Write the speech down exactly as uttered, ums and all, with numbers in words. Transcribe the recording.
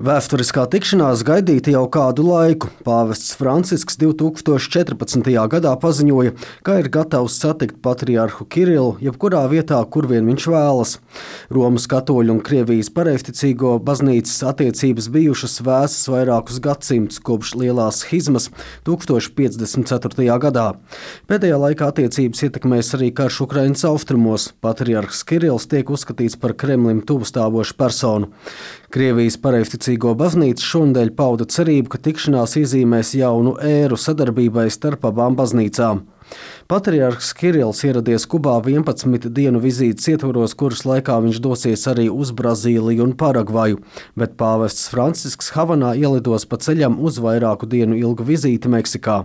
Vēsturiskā tikšanās gaidīta jau kādu laiku. Pāvests Francisks divtūkstoš četrpadsmitajā gadā paziņoja, ka ir gatavs satikt patriarhu Kirilu jebkurā vietā, kur vien viņš vēlas. Romas katoļu un Krievijas pareizticīgo baznīcas attiecības bijušas vēsas vairākus gadsimtus kopš lielās schizmas tūkstoš piecdesmit ceturtajā gadā. Pēdējā laikā attiecības ietekmēs arī karš Ukrainas austrumos. Patriarhs Kirills tiek uzskatīts par Kremlim tuvu stāvošu personu. Krievijas pareizticīgo baznīca šonadēļ pauda cerību, ka tikšanās iezīmēs jaunu ēru sadarbībai starp abām baznīcām. Patriarhs Kirills ieradies Kubā vienpadsmit dienu vizītes ietvaros, kuras laikā viņš dosies arī uz Brazīliju un Paragvaju, bet pāvests Francisks Havanā ielidos pa ceļam uz vairāku dienu ilgu vizīti Meksikā.